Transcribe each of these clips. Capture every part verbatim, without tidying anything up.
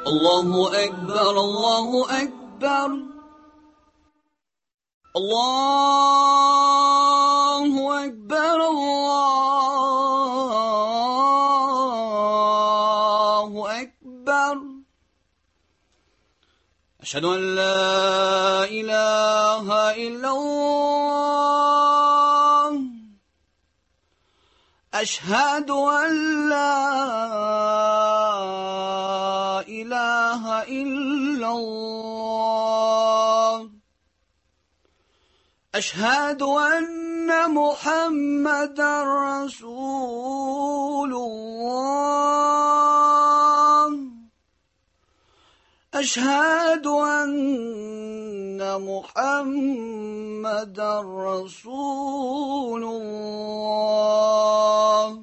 الله أكبر الله أكبر الله أكبر الله أكبر أشهد أن لا إله إلا الله أشهد أن لا إله إلا الله أشهد أن محمدا رسول الله أشهد أن محمدا رسول الله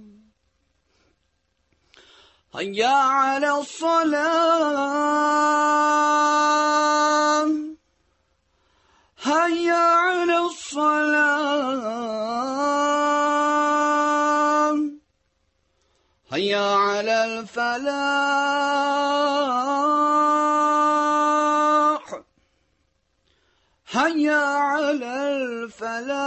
هيا على الصلاة هيا على الصلاة هيا على الفلاح هيا على الفلاح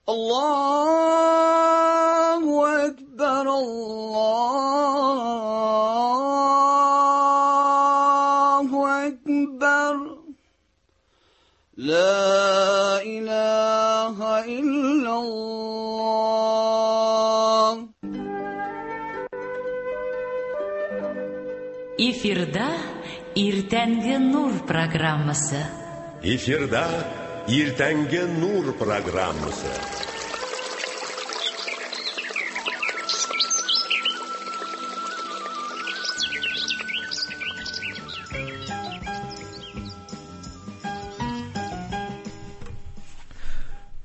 الله أكبر الله أكبر لا إله إلا الله. Эфирда Иртәнге Нур программасы. Эфирда Иртәнге Нур программасы.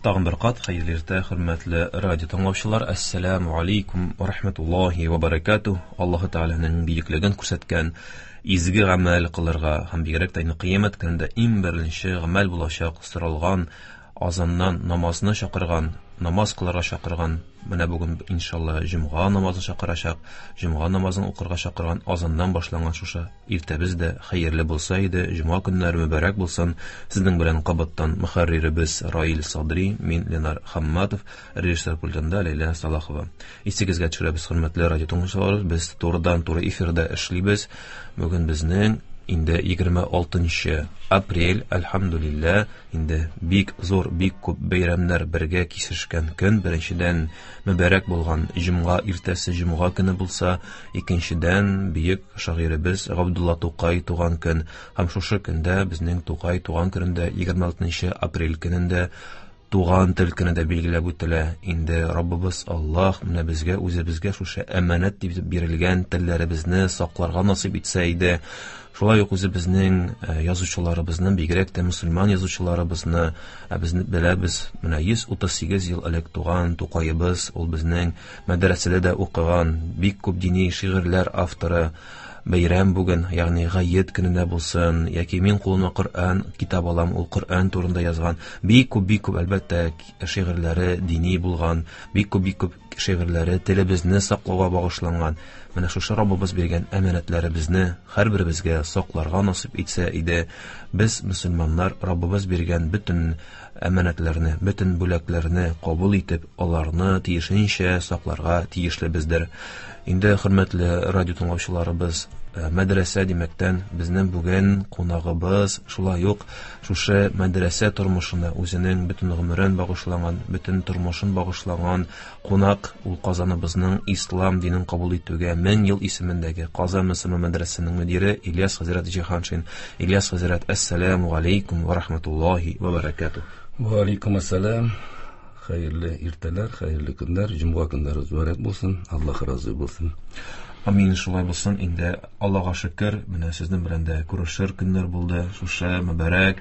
Тагын бер кат хәерле иртә, хөрмәтле радио тыңлаучылар. Ассаламу алейкум ва рахматуллахи ва баракатуh. Аллаһ Тәгаләнең бөеклеген күрсәткән изге гамәл кылырга һәм бигрәк тә кыямәт көнендә иң беренче гамәл булачак соралган азаннан намазны чакырган, намаз кылырга чакырган, менә бүген иншалла җомга намазын чакырачак, җомга намазын укырга чакырган азаннан башланган шушы иртәбез дә хәерле булса иде, җомга көннәре мөбарәк булсын. Сезнең белән кабаттан мөхәрриребез Раил Садри, мин Ленар Хамматов, режиссер пультында Ләйлә Салахова. Исегезгә төшерәбез, хөрмәтле радио тыңлаучылар, без турыдан-туры эфирда эшлибез. Бүген безнең инде егерме алтынчы апрель, әлхәмдүлилләһ, инде бик зур, бик күп бәйрәмнәр бергә кисешкән көн. Беренчедән, мөбарәк булган җомга иртәсе, җомга көне булса, икенчедән, бөек шагыйребез Габдулла Тукай туган көн. Һәм шушы көндә, безнең Тукай туган көнендә, егерме алтынчы апрель көнендә туган тел көне дә билгеләп үтелә. Инде Раббыбыз Аллаһ менә безгә, үзебезгә шушы әманәт дип бирелгән телләребезне сакларга насыйп итсә иде. Шулай ук үзебезнең язучыларыбызны, бигрәк тә мөселман язучыларыбызны, ә безне беләбез, менә йөз утыз сигез ел элек туган Тукаебыз, ул безнең мәдрәсәдә дә укыган, бик күп дини шигырьләр авторы. Бәйрәм бүген, ягъни гает көнендә булсын, яки мин кулыма Коръән китап алам, ул Коръән турында язган бик күп, бик күп әлбәттә шигырьләре дини булган, бик күп, бик күп шигырьләре телебезне саклауга багышланган. Менә шушы Раббыбыз биргән әманәтләребезне һәрберебезгә сакларга насыйп итсә иде. Без мөселманнар Раббыбыз биргән бөтен әманәтләрне, бөтен бүләкләрне кабул итеп, аларны тиешенчә сакларга тиешлебездер. Инде хөрмәтле радио тыңлаучыларыбыз, мәдрәсә димәктән, безнең бүген кунагыбыз шулай ук шушы мәдрәсә тормышына үзенең бөтен гомерен багышлаган, бөтен тормышын багышлаган кунак, ул Казаныбызның ислам динен кабул итүгә мең ел исемендәге Казан мөселман мәдрәсәсенең мөдире Ильяс хәзрәт Җиһаншин. Ильяс хәзрәт, ассаламу алейкум ва рахматуллахи ва баракатуh. Ва алейкум ассалам. Хәерле иртәләр, хәерле көннәр, җомга көннәре мөбарәк булсын. Аллаһ разый булсын. Амин, шулай булсын. Инде Аллаһка шөкер, менә сезнең белән дә күрешер көннәр булды. Шушы мөбарәк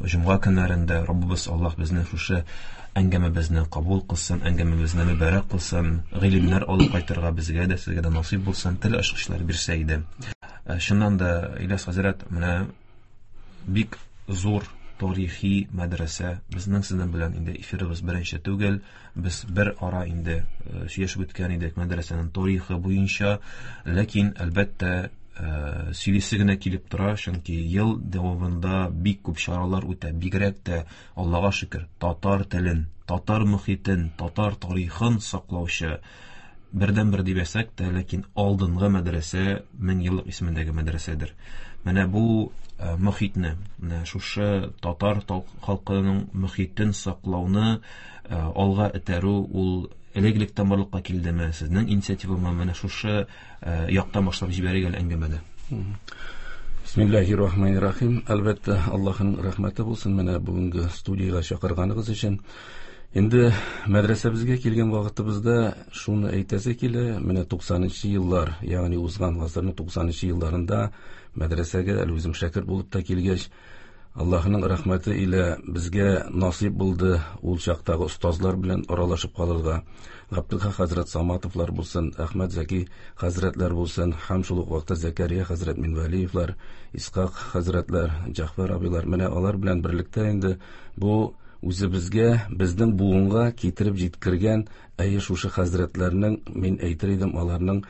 җомга көннәрендә Раббыбыз Аллаһ безне шушы әңгәмәбезне кабул кылсын, әңгәмәбезне мөбарәк кылсын, гыйлемнәр алып кайтырга безгә дә, сезгә дә насыйп булсын, тел ачкычлар бирсә иде. Чыннан да, Ильяс хәзрәт, менә бик зур тарихи мәдрәсә. Безнең сезнең белән инде эфирыбыз беренче түгел. Без бер ара инде сөйләшеп үткән идек мәдрәсәнең тарихы буенча. Ләкин әлбәттә сөйлисе генә килеп тора, чөнки ел дәвамында бик күп чаралар үтә. Бигрәк тә Аллага шөкер, татар телен, татар мөхитен, татар тарихын саклаучы бердән-бер дип әйтсәк тә, ләкин алдынгы мәдрәсә мең еллык исемендәге мәдрәсәдер. Менә бу мөхитне, менә шушы татар халкының мөхитен саклауны алга этәрү ул элек-электән барлыкка килдеме? Сезнең инициативамы? Менә шушы яктан башлап җибәрик әле әңгәмәне. Бисмиллахир-рахманир-рахим. Әлбәттә, Аллаһның рәхмәте булсын менә бүгенге студиягә чакырганыгыз өчен. Инде мәдрәсәбезгә килгән вакытыбызда шуны әйтәсе килә, менә туксанынчы еллар, ягъни узган гасырның туксанынчы елларында мәдрәсәгә әле үзем шәкерт булып та килгәч, Аллаһның рәхмәте илә безгә насыйп булды ул чактагы остазлар белән аралашып калырга. Габдулхак хәзрәт Саматовлар булсын, Әхмәт Зәки хәзрәтләр булсын, һәм шул ук вакытта Зәкәрия хәзрәт Минвәлиевлар, Исхак хәзрәтләр, Җәгъфәр абыйлар, менә алар белән берлектә инде бу үзебезгә, безнең буынга китереп җиткергән әйе шушы хәзрәтләрнең, мин әйтер идем, аларның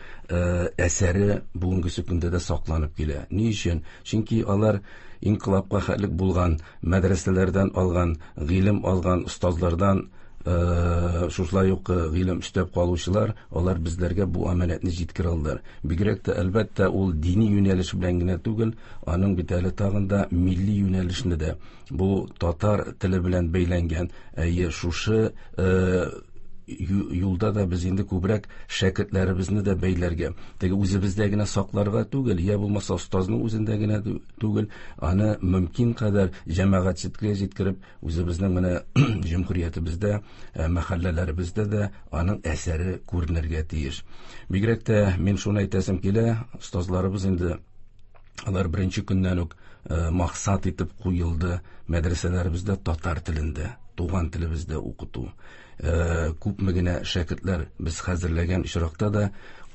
әсәре бүгенге көндә дә сакланып килә. Ни өчен? Чөнки алар инкыйлабка хәтлек булган мәдрәсәләрдән алган, гыйлем алган остазлардан шушылай ук гыйлем өстәп калучылар, алар безләргә бу аманәтне җиткерә алдылар. Бигрәк тә әлбәттә ул дини юнәлеш белән генә түгел, аның бит әле тагын да милли юнәлешне дә, бу татар теле белән бәйләнгән, әйе шушы юлда да без инде күбрәк шәкертләребезне дә бәйләргә, теге үзебездә генә сакларга түгел, я булмаса остазның үзендә генә түгел, аны мөмкин кадәр җәмәгатьчелеккә җиткереп, үзебезнең менә җөмһүриятебездә, мәхәлләләребездә дә аның әсәре күренергә тиеш. Бигрәк тә мин шуны әйтәсем килә, остазларыбыз инде алар беренче көннән үк максат итеп куелды мәдрәсәләребездә татар телендә, туган телебездә укыту. Күпме генә шәкертләр без хәзерләгән очракта да,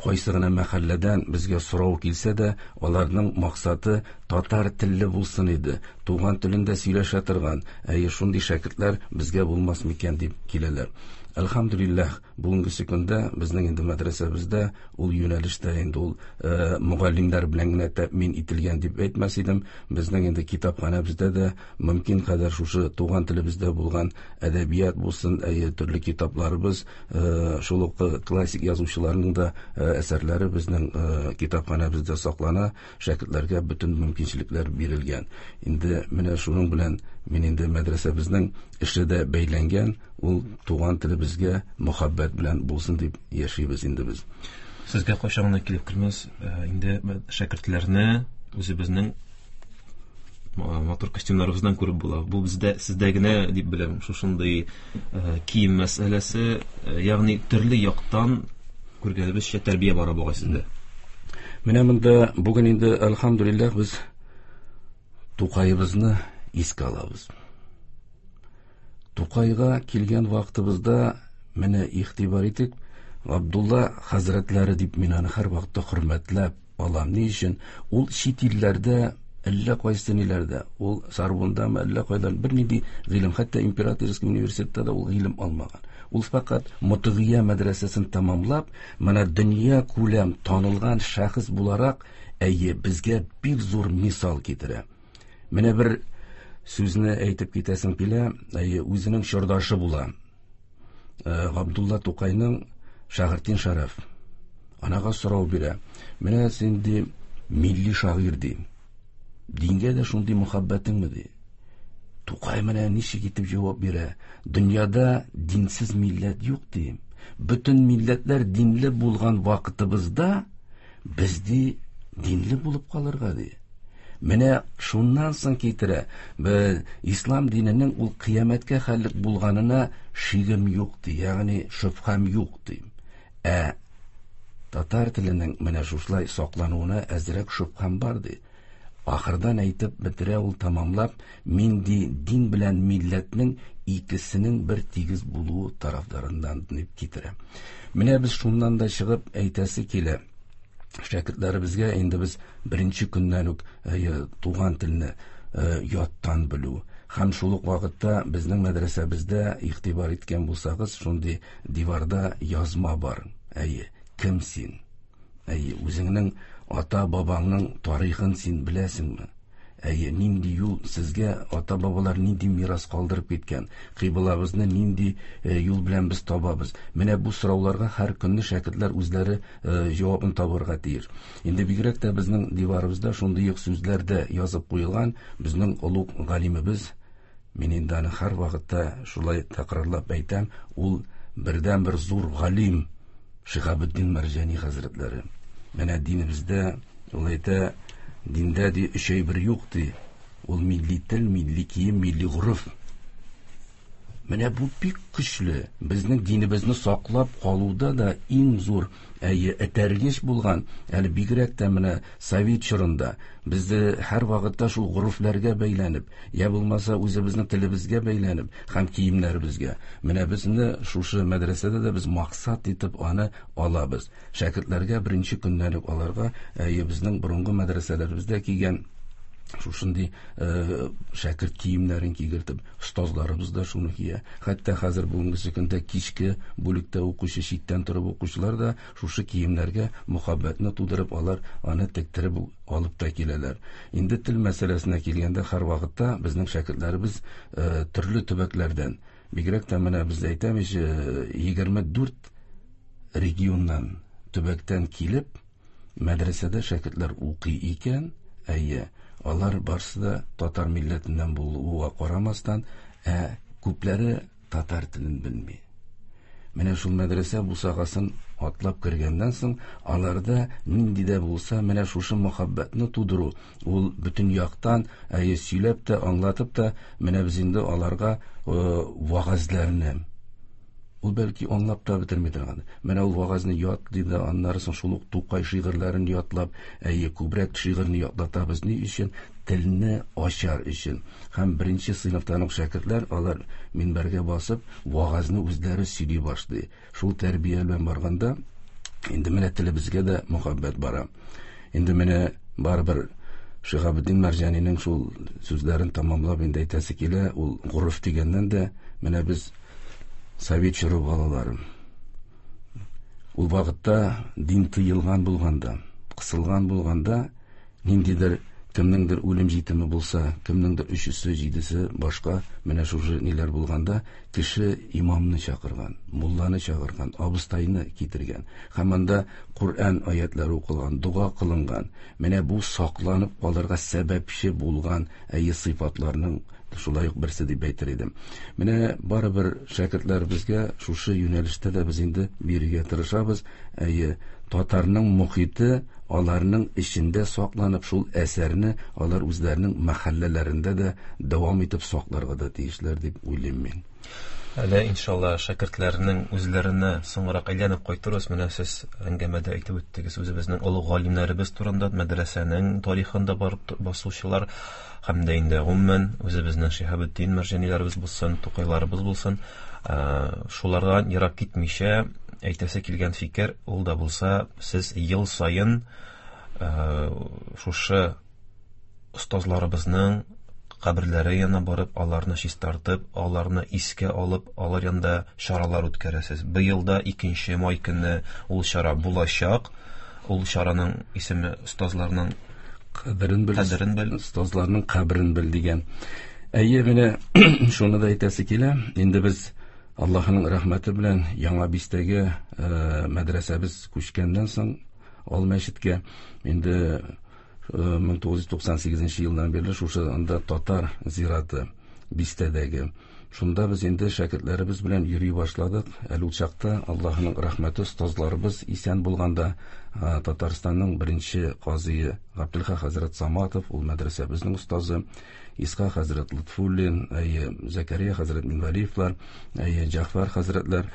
кайсы гына мәхәлләдән безгә сорау килсә дә, аларның максаты татар телле булсын иде, туган телендә сөйләшә торган, әйе шундый шәкертләр безгә булмас микән дип киләләр. Әлхәмдүлилләһ, бүгенге көндә безнең инде мәдрәсәбездә ул юнәлештә инде ул мөгаллимнәр белән генә тәэмин ителгән дип әйтмәс идем. Безнең инде китапханәбездә дә мөмкин кадәр шушы туган телебездә булган әдәбият булсын, әйе төрле китапларыбыз, шул ук классик язучыларның да әсәрләре безнең китапханәбездә саклана, шәкертләргә бөтен мөмкинчелекләр бирелгән. Инде менә шуның белән мин инде мәдрәсәбезнең эше дә бәйләнгән, ул туган телебезгә мөхәббәт белән булсын дип яшибез инде без. Сезгә кайчан гына килеп кермәс, инде шәкертләрне үзебезнең матур костюмнарыбыздан күреп була. Бу бездә, сездә генә дип беләм, шушындый кием мәсьәләсе, ягъни төрле яктан күргәнебезчә тәрбия бара бугай сездә. Менә монда бүген инде әлхәмдүлилләһ без Тукаебызны искә алабыз. Тукайга килгән вакытыбызда менә игътибар итик, Габдулла хәзрәтләре дип мин аны һәр вакытта хөрмәтләп алам. Ни өчен? Ул чит илләрдә, әллә кайсы ниләрдә, ул Сарбондамы, әллә кайдан бернинди гыйлем, хәтта императорский университетта да ул гыйлем алмаган. Ул фақат Мотыгия мәдрәсәсен тәмамлап, менә дөнья күләм танылган шәхес буларак, әйе, безгә бик зур мисал китерә. Менә бер сүзне әйтеп китәсем килә, әйе, үзенең чордашы була. Габдулла Тукайның Шагыйрьтин Шәрәф. Анага сорау бирә. Менә син ди милли шагыйрь ди. Дингә дә шундый мөхәббәтеңме ди. Тукай менә ничек итеп җавап бирә? Дөньяда динсез милләт юк ди. Бөтен милләтләр динле булган вакытыбызда без ди динле булып калырга ди. Менә шуннан соң китерә, без ислам диненең ул кыямәткә хәллек булганына шигем юк ди, ягъни шөбһәм юк ди. Ә татар теленең менә шушылай саклануына әзрәк шөбһәм бар ди. Ахырдан әйтеп бетерә ул тамамлап, мин ди дин белән милләтнең икесенең бер тигез булуы тарафдарыннан дип китерә. Менә без шуннан да чыгып әйтәсе килә. Шәкертләребезгә инде без беренче көннән үк туган телне яттан белү, Һәм шул ук вакытта безнең мәдрәсәбездә игътибар иткән булсагыз, шундый диварда язма бар. Әйе, кем син? Әйе, үзеңнең ата-бабаңның тарихын син беләсеңме? Әйе, нинди юл сезгә ата-бабалар нинди мирас калдырып киткән? Кыйблабызны нинди юл белән без табабыз? Менә бу сорауларга һәр көнне шәкертләр үзләре җавабын табырга тиеш. Инде бигрәк тә безнең диварыбызда шундый ук сүзләр дә язып куелган. Безнең олуг галимебез, мин инде аны һәр вакытта шулай тәкрарлап әйтәм, ул бердән-бер зур галим Шиһабетдин Мәрҗани хәзрәтләре. Менә динебездә ул әйтә, диндә ди өч әйбер юк ди. Ул милли тел, милли кием, милли гореф. Менә бу бик көчле. Безнең динебезне саклап калуда да иң зур әйе этәргеч булган, әле бигрәк тә менә совет чорында безне һәр вакытта шул горефләргә бәйләнеп, я булмаса үзебезнең телебезгә бәйләнеп һәм киемнәребезгә. Менә безне шушы мәдрәсәдә дә без максат итеп аны алабыз. Шәкертләргә беренче көннән үк аларга әйе безнең борынгы мәдрәсәләребездә кигән шушындый шәкерт киемнәрен кигертеп, остазларыбыз да шуны кия. Хәтта хәзер бүгенге көндә кичке бүлектә укучы, читтән торып укучылар да шушы киемнәргә мөхәббәтне тудырып, алар аны тектереп алып та киләләр. Инде тел мәсьәләсенә килгәндә, һәр вакытта безнең шәкертләребез төрле төбәкләрдән, бигрәк тә менә без әйтәмез, егерме дүрт регионнан, төбәктән килеп, мәдрәсәдә шәкертләр укый икән, әйе, алар барсы да татар милләтеннән булуга карамастан, ә күпләре татар телен белми. Менә шул мәдрәсә бусагасын атлап кергәннән соң, аларда нинди дә булса менә шушы мөхәббәтне тудыру, ул бөтен яктан әйе сөйләп тә, аңлатып та, менә без инде аларга вагазларны, ул бәлки аңлап та бетерми торган. Менә ул вагазны ятлый да, аннары соң шул ук Тукай шигырьләрен ятлап, әйе, күбрәк шигырьне ятлатабыз. Ни өчен? Телне ачар өчен. Һәм беренче сыйныфтан ук шәкертләр, алар минбәргә басып, вагазны үзләре сөйли башлый. Шул тәрбия белән барганда, инде менә телебезгә дә мөхәббәт бара. Инде менә барыбер Шиһабетдин Мәрҗанинең шул сүзләрен тамамлап инде әйтәсе килә, ул гореф дигәннән дә менә без совет чоры балалары. Ул вакытта дин тыелган булганда, кысылган булганда, ниндидер кемнеңдер үлем җитеме булса, кемнеңдер өчесе, җидесе, башка менә шушы ниләр булганда, кеше имамны чакырган, мулланы чакырган, абыстайны китергән. Һәм анда Коръән аятлары укылган, дога кылынган. Менә бу сакланып калырга сәбәпче булган әйе сыйфатларның шулай ук берсе дип әйтер идем. Менә барыбер шәкертләребезгә шушы юнәлештә дә без инде бирергә тырышабыз. Әйе, татарның мохите аларның эчендә сакланып, шул әсәрне алар үзләренең мәхәлләләрендә дә дәвам итеп сакларга да тиешләр дип уйлыйм мин. Әле иншалла шәкертләрнең үзләренә соңрак әйләнеп кайтырбыз. Менә сез әңгәмәдә әйтеп үттегез, үзебезнең олуг галимнәребез турында, мәдрәсәнең тарихында барып басучылар һәм дә инде гомумән үзебезнең Шиһабетдин Мәрҗаниләребез булсын, Тукайларыбыз булсын, шулардан ерак китмичә әйтәсе килгән фикер ул да булса, сез ел саен шушы остазларыбызның каберләре янына барып, аларны чистартып, аларны искә алып, алар янында чаралар үткәрәсез. Быел да икенче май көнне ул чара булачак. Ул чараның исеме остазларның каберен бел, кадерен бел, остазларның каберен бел дигән. Әйе, менә шуны да әйтәсе килә. Инде без Аллаһның рәхмәте белән Яңа Бистәгә мәдрәсәбез күчкәннән соң ал мәчеткә инде мең тугыз йөз туксан сигезенче елдан бирле шушы анда татар зираты бистәдәге. Шунда без инде шәкертләребез белән йөри башладык. Әле ул чакта Аллаһның рәхмәте остазларыбыз исән булганда Татарстанның беренче казые Габделхак хәзрәт Саматов, ул мәдрәсәбезнең остазы, Исхак хәзрәт Лотфуллин, әйе, Зәкәрия хәзрәт Минвәлиевлар, әйе, Җәгъфәр хәзрәтләр,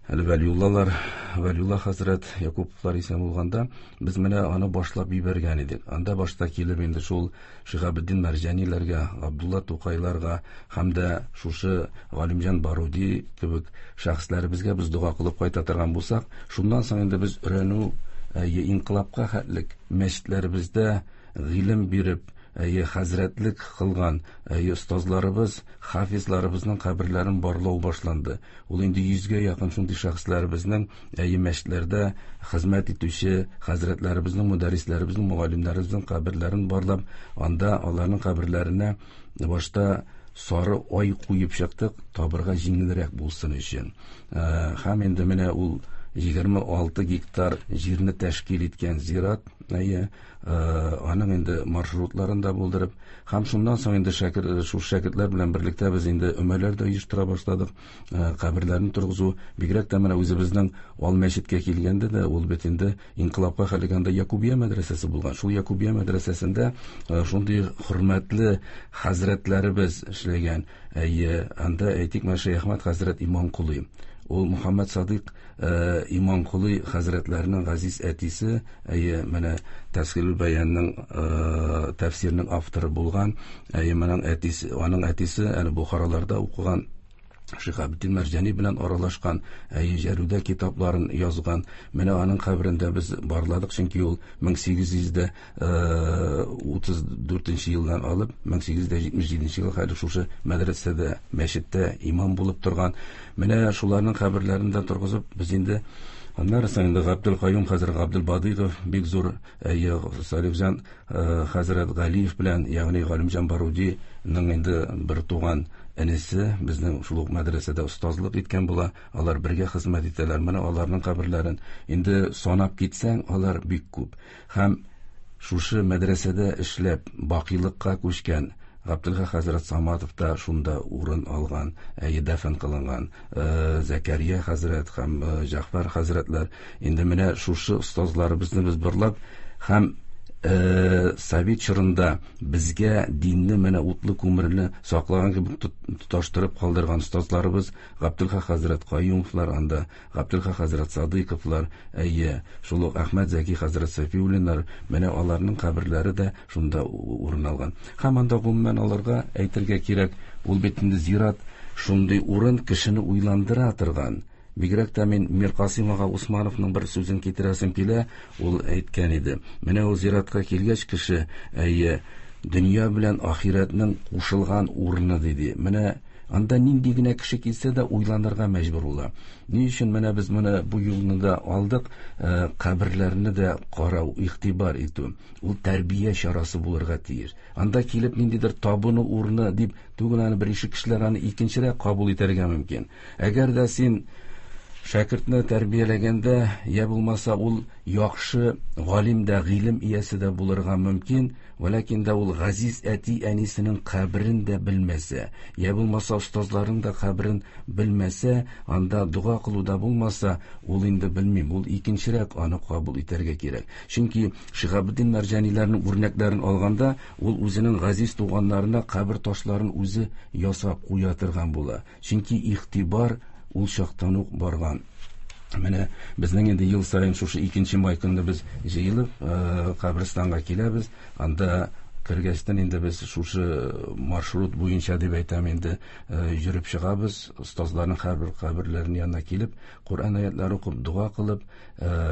әле Вәлиуллалар, Вәлиулла хәзрәт Якуповлар исән булганда без менә аны башлап җибәргән идек. Анда башта килеп инде шул Шиһабетдин Мәрҗаниләргә, Габдулла Тукайларга һәм дә шушы Галимҗан Баруди кебек шәхесләребезгә без дога кылып кайта торган булсак, шуннан соң инде без өйрәнү, әйе, инкыйлабка хәтлек мәчетләребездә гыйлем биреп, әйе, хәзрәтлек кылган әйе, остазларыбыз, хафизларыбызның каберләрен барлау башланды. Ул инде йөзгә якын шундый шәхесләребезнең, әйе, мәчетләрдә хезмәт итүче хәзрәтләребезнең, мөдәррисләребезнең, мөгаллимнәребезнең каберләрен барлап, анда аларның каберләренә башта сары ай куеп чыктык, табырга җиңелрәк булсын өчен. Һәм инде менә ул егерме алты гектар җирне тәшкил иткән зират, әйе, аның инде маршрутларын да булдырып, һәм шуннан соң инде шәкер, шул шәкертләр белән берлектә без инде өмәләр дә оештыра башладык, каберләрне торгызу, бигрәк тә менә үзебезнең Ал мәчеткә килгәндә дә ул бит инде инкыйлабка хәлгәндә Якубия мәдрәсәсе булган. Шул Якубия мәдрәсәсендә шундый хөрмәтле хәзрәтләребез эшләгән. Әйе, анда әйтик, менә Шәйх Әхмәт хәзрәт Иманкулый. Ул Мухаммад Садык Иманкулый хәзрәтләренең газиз әтисе, әйе, менә Тәфсирул Баянның тәфсиренең авторы булган, әйе, моның әтисе, аның әтисе әле Бухараларда укыган, Шиһабетдин Мәрҗани белән аралашкан, әйе, Җәрүдә китапларын язган. Менә аның каберендә без барладык, чөнки ул мең сигез йөз дә утыз дүртенче елдан алып мең сигез йөз дә җитмеш җиденче елга хәтле шушы мәдрәсәдә, мәчеттә имам булып торган. Менә шуларның каберләрен дә торгызып, без инде аннары соң инде Габдул Каюм хәзрәт Габдул Бадыйгов бик зур, әйе, Салихҗан хәзрәт Галиев белән, ягъни Галимҗан Барудиның инде бер туган энесе безнең шул ук мәдрәсәдә остазлык иткән була, алар бергә хезмәт итәләр. Менә аларның каберләрен инде санап китсәң, алар бик күп. Һәм шушы мәдрәсәдә эшләп бакыйлыкка күчкән Габдулхак хәзрәт Саматов та шунда урын алган, әйе, дәфен кылынган. Зәкәрия хәзрәт һәм Җәгъфәр хәзрәтләр. Инде менә шушы остазларыбызны без барлап һәм Совет чорында безгә динне менә утлы күмерне саклаган кебек тоташтырып калдырган остазларыбыз Габдулхак хәзрәт Каюмовлар анда, Габдулхак хәзрәт Садыйковлар, әйе, шул ук Әхмәт Зәки хәзрәт Сафиуллиннар, менә аларның каберләре дә шунда урын алган. Һәм анда гомумән аларга әйтергә кирәк, ул бит инде зират шундый урын кешене уйландыра торган. Бигрәк тә мин Миркасыйм ага Усмановның бер сүзен китерәсем килә, ул әйткән иде. Менә ул зиратка килгәч кеше, әйе, дөнья белән ахирәтнең кушылган урыны диде. Менә анда нинди генә кеше килсә дә уйланырга мәҗбүр була. Ни өчен менә без моны бу юлны да алдык, каберләрне дә карау, игътибар итү. Ул тәрбия чарасы булырга тиеш. Анда килеп ниндидер табыну урыны дип түгел, аны беренче кешеләр аны икенчерәк кабул итәргә мөмкин. Әгәр дә син шәкертне тәрбияләгәндә, я булмаса ул яхшы галим дә, гыйлем иясе дә булырга мөмкин, вәләкин дә ул газиз әти-әнисенең каберен дә белмәсә, я булмаса остазларының да каберен белмәсә, анда дога кылу да булмаса, ул инде белмим, ул икенчерәк аны кабул итәргә кирәк. Чөнки Шиһабетдин Мәрҗаниләрнең үрнәкләрен алганда, ул үзенең газиз туганнарына кабер ташларын үзе ясап куя торган була. Чөнки игътибар ул чактан ук барган. Менә безнең инде ел саен шушы икенче май көнне без җыелып, каберстанга киләбез. Анда кергәчтән инде без шушы маршрут буенча дип әйтәм инде, йөреп чыгабыз. Остазларның һәрбер каберләренең янына килеп, Коръән аятлары укып, дога кылып,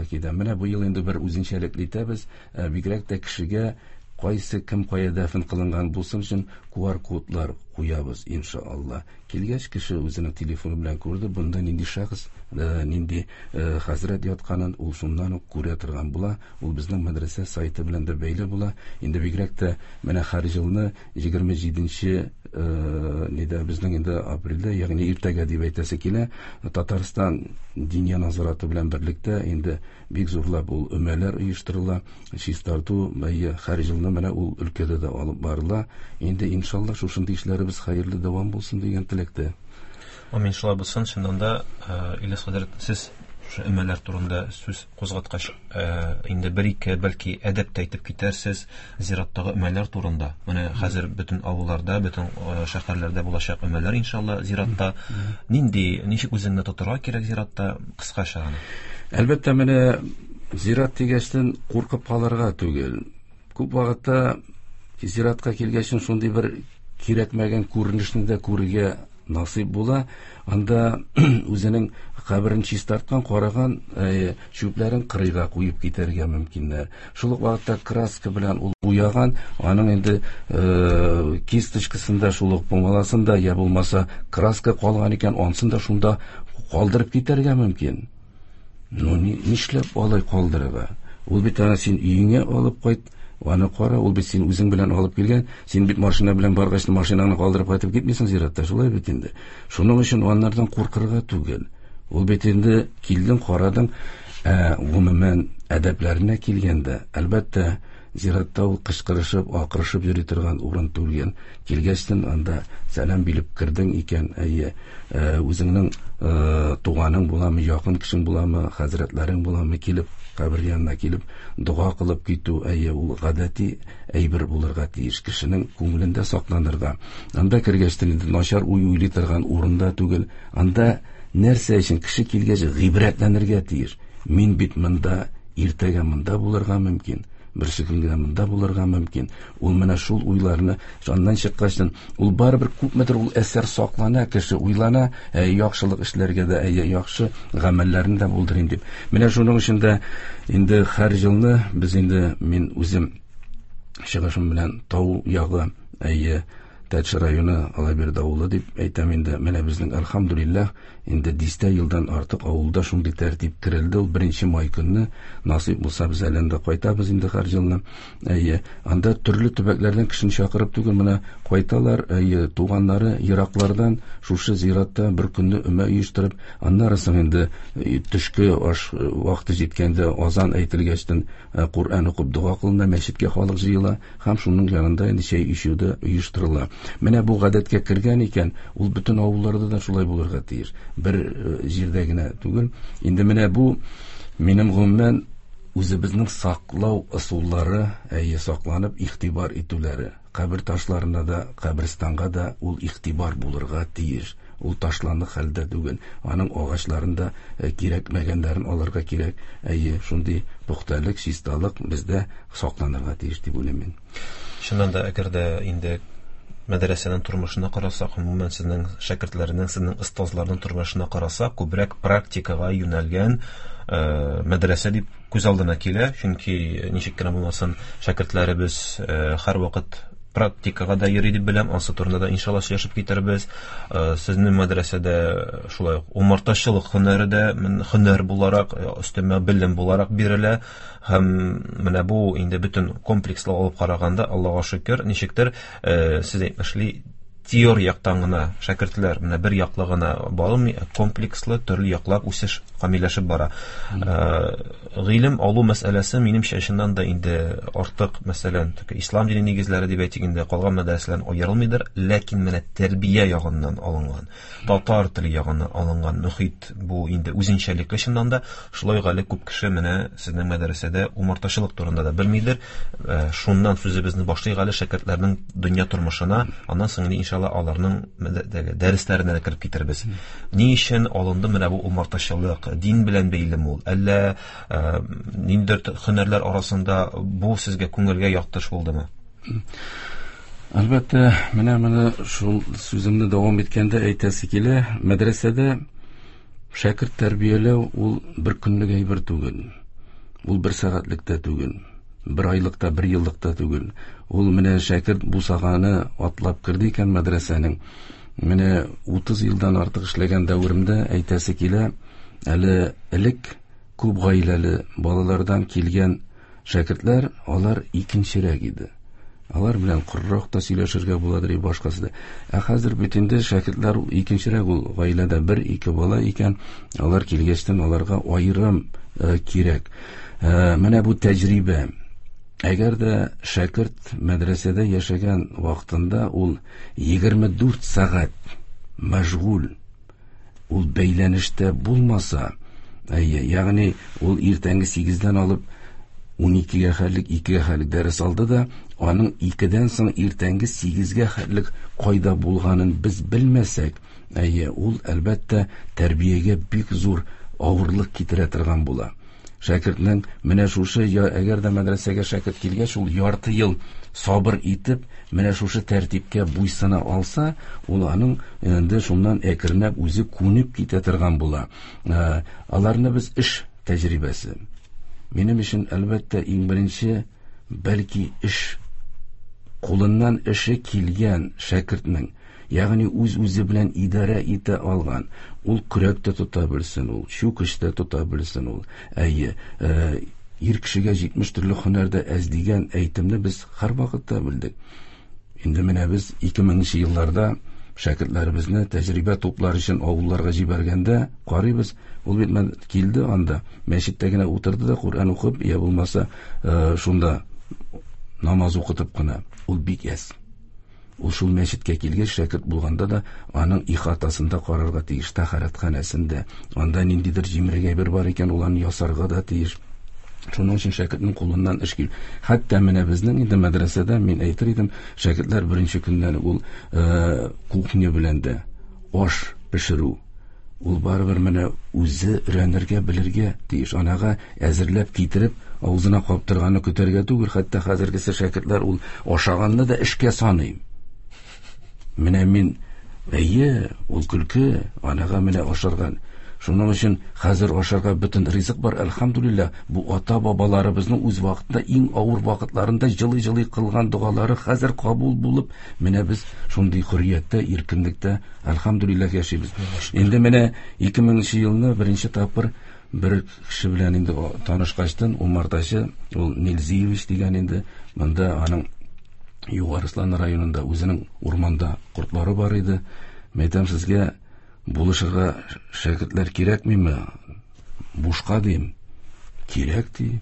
китә. Менә бу ел инде бер үзенчәлекле итәбез. Бигрәк тә кешегә кайсы кем кая дәфен кылынган булсын өчен ку ар кодлар куябыз, иншалла. Килгәч кеше үзенең телефоны белән күрде, бунда нинди шәхес, нинди хәзрәт ятканын ул шуннан ук күрә торган була. Ул безнең мәдрәсә сайты белән дә бәйле була. Инде бигрәк тә менә һәр елны егерме җиденче, нидә безнең инде апрельдә, ягъни иртәгә дип әйтәсе килә, Татарстан Диния назараты белән берлектә инде бик зурлап ул өмәләр оештырыла, чистарту, әйе, һәр елны менә ул өлкәдә дә алып барыла. Инде иншалла шушындый эшләребез хәерле дәвам булсын дигән теләктә. Амин, шулай булсын. Чыннан да, Ильяс хәзрәт, сез шушы өмәләр турында сүз кузгаткач, инде бер-ике бәлки әдәп тә әйтеп китәрсез зираттагы өмәләр турында. Менә хәзер бөтен авылларда, бөтен шәһәрләрдә булачак өмәләр иншалла зиратта. Нинди, ничек үзеңне тотарга кирәк зиратта, кыскача гына? Әлбәттә, менә зират дигәчтен куркып калырга түгел. Күп вакытта зиратка килгәчен шундый бер кирәкмәгән күренешне дә күрергә насыйп була. Анда үзенең каберен чистарткан, караган, чүпләрен кырыйга куеп китәргә мөмкиннәр. Шул ук вакытта краска белән ул буяган, аның инде кисточкасында, шул ук пумаласында, я булмаса краска калган икән, ансын да шунда калдырып китәргә мөмкин. Ну, нишләп алай калдырырга? Ул бит аны син өеңә алып кайт, аны кара, ул бит син үзең белән алып килгән, син бит машина белән баргач, машинаңны калдырып кайтып китмисең зиратта, шулай бит инде. Шуның өчен аннардан куркырга түгел. Ул бит инде килдең, карадың, ә, гомумән әдәпләренә килгәндә, әлбәттә, зиратта ул кычкырышып, акырышып йөри торган урын түгел. Килгәчтен анда сәлам биреп кердең икән, әйе, үзеңнең туганың буламы, якын кешең буламы, хәзрәтләрең буламы, килеп кабер янына килеп дога кылып китү, әйе, ул гадәти әйбер булырга тиеш, кешенең күңелендә сакланырга. Анда кергәчтен инде начар уй уйлый торган урында түгел. Анда нәрсә өчен кеше килгәч гыйбрәтләнергә тиеш. Мин бит монда, иртәгә монда булырга мөмкин, берсе көнгә монда булырга мөмкин. Ул менә шул уйларны аннан чыккачтан, ул барыбер күпмедер ул әсәр саклана, кеше уйлана, яхшылык эшләргә дә, әйе, яхшы гамәлләрне дә булдырыйм дип. Менә шуның өчен дә инде һәр елны без инде, мин үзем чыгышым белән тау ягы, әйе, Тәтеш районы Алабирде авылы дип әйтәм инде. Менә безнең әлхәмдүлилләһ инде дистә елдан артык авылда шундый тәртип керелде. Ул беренче май көнне насыйп булса без әле анда кайтабыз инде һәр елны. Әйе, анда төрле төбәкләрдән кешене чакырып түгел, менә кайталар, әйе, туганнары ераклардан шушы зиратта бер көнне өмә оештырып, аннары соң инде төшке аш вакыты җиткәндә азан әйтелгәчтен Коръән укып дога кылына, мәчеткә халык җыела һәм шуның янында инде чәй эчү дә оештырыла. Менә бу гадәткә кергән икән, ул бөтен авылларда да шулай булырга тиеш. Бер җирдә генә түгел. Инде менә бу минем гомумән үзебезнең саклау ысуллары, әйе, сакланып игътибар итүләре. Кабер ташларына да, каберстанга да ул игътибар булырга тиеш. Ул ташландык хәлдә түгел. Аның агачларын да кирәкмәгәннәрен алырга кирәк. Әйе, шундый пөхтәлек, чисталык бездә сакланырга тиеш дип уйлыйм мин. Чыннан да, әгәр дә инде мәдрәсәнең тормышына карасак, гомумән сезнең шәкертләрнең, сезнең остазларның тормышына карасак, күбрәк практикага юнәлгән мәдрәсә дип күз алдына килә. Чөнки ничек кенә булмасын, шәкертләребез һәрвакыт практикага да йөри дип беләм. Ансы турында да иншалла сөйләшеп китербез. Сезнең мәдрәсәдә шулай ук умартачылык һөнәре дә һөнәр буларак, өстәмә белем буларак бирелә. Һәм менә бу инде бөтен комплекслы алып караганда, Аллага шөкер, ничектер сез әйтмешли, теория яктан гына шәкертләр менә бер яклы гына бармый, комплекслы төрле яклап үсеш камилләшеп бара. Гыйлем алу мәсьәләсе минемчә чыннан да инде артык, мәсәлән, ислам дине нигезләре дип әйтик инде, калган мәдрәсәләрдән аерылмыйдыр, ләкин менә тәрбия ягыннан алынган, татар теле ягыннан алынган мөхит бу инде үзенчәлекле чыннан да. Шулай ук әле күп кеше менә сезнең мәдрәсәдә умартачылык турында да белмидер. Шуннан сүзебезне башлыйк әле шәкертләрнең дөнья тормышына, аннан соң инде иншалла аларның дәресләренә дә кереп китербез. Ни өчен алынды менә бу умартачылык? Дин белән бәйлеме ул? Әллә ниндидер һөнәрләр арасында бу сезгә күңелгә якташ булдымы? Әлбәттә, менә моны шул сүземне дәвам иткәндә әйтәсе килә, мәдрәсәдә шәкерт тәрбияләү ул бер көнлек әйбер түгел. Ул бер сәгатьлек тә түгел, бер айлык та, бер еллык та түгел. Ул менә шәкерт бусаганы атлап керде икән мәдрәсәнең. Менә утыз елдан артык эшләгән дәверемдә әйтәсе килә, әле элек күп гаиләле балалардан килгән шәкертләр, алар икенчерәк иде. Алар белән коррак та сөйләшергә буладыр, башкасы да. Ә хәзер бит инде шәкертләр ул икенчерәк, ул гаиләдә бер-ике бала икән, алар килгәчтен аларга аерым кирәк. Менә бу тәҗрибә. Әгәр дә шәкерт мәдрәсәдә яшәгән вакытында ул егерме дүрт сәгать мәшгуль, ул бәйләнештә булмаса, әйе, ягъни ул иртәнге сигездән алып ун икегә хәтлек, икегә хәтлек дәрес алды да, аның икедән соң иртәнге сигезгә хәтлек кайда булганын без белмәсәк, әйе, ул әлбәттә тәрбиягә бик зур авырлык китерә торган була. Шәкертнең менә шушы, әгәр дә мәдрәсәгә шәкерт килгәч, ул ярты ел сабыр итеп, менә шушы тәртипкә буйсына алса, ул аның инде шуннан әкренләп үзе күнеп китә торган була. Аларны без эш тәҗрибәсе. Минем өчен әлбәттә иң беренче бәлки эш кулыннан эше килгән шәкертнең, ягъни үз-үзе белән идарә итә алган, ул көрәк тә тота белсен, ул чүкеч тә тота белсен, ул әйе, ир кешегә җитмеш төрле һөнәр дә әз дигән әйтемне без һәрвакытта белдек. Инде менә без ике меңенче елларда шәкертләребезне тәҗрибә туплар өчен авылларга җибәргәндә карыйбыз, ул бит килде анда, мәчеттә генә утырды да Коръән укып, я булмаса шунда намаз укытып кына, ул бик әз. Ул шул мәчеткә килгәч шәкерт булганда да аның ихатасында карарга тиеш, тәһарәтханәсендә, анда ниндидер җимерек әйбер бар икән, ул аны ясарга да тиеш. Шуның өчен шәкертнең кулыннан эш кил. Хәтта менә безнең инде мәдрәсәдә мин әйтер идем, шәкертләр беренче көннән ул кухня белән дә аш пешерү, ул барыбер менә үзе өйрәнергә, белергә тиеш. Анага әзерләп китереп авызына каптырганны көтәргә түгел, хәтта хәзергесе шәкертләр ул ашаганны да эшкә саный. Менә мин, әйе, ул көлке, анага менә ашарган. Шуның өчен хәзер ашарга бөтен ризык бар, әлхәмдүлилләһ. Бу ата-бабаларыбызның үз вакытында иң авыр вакытларында җылы-җылы кылган догалары хәзер кабул булып, менә без шундый хөррияттә, иркенлектә, әлхәмдүлилләһ яшибез. Инде менә ике меңенче елны беренче тапкыр бер кеше белән инде танышкачтын, умартачы, ул Нилзиевич дигән инде, монда аның Югары Арыслан районында үзенең урманда кортлары бар иде. Мәйтәм, сезгә булышырга шәкертләр кирәкмиме? Бушка дим. Кирәк ди.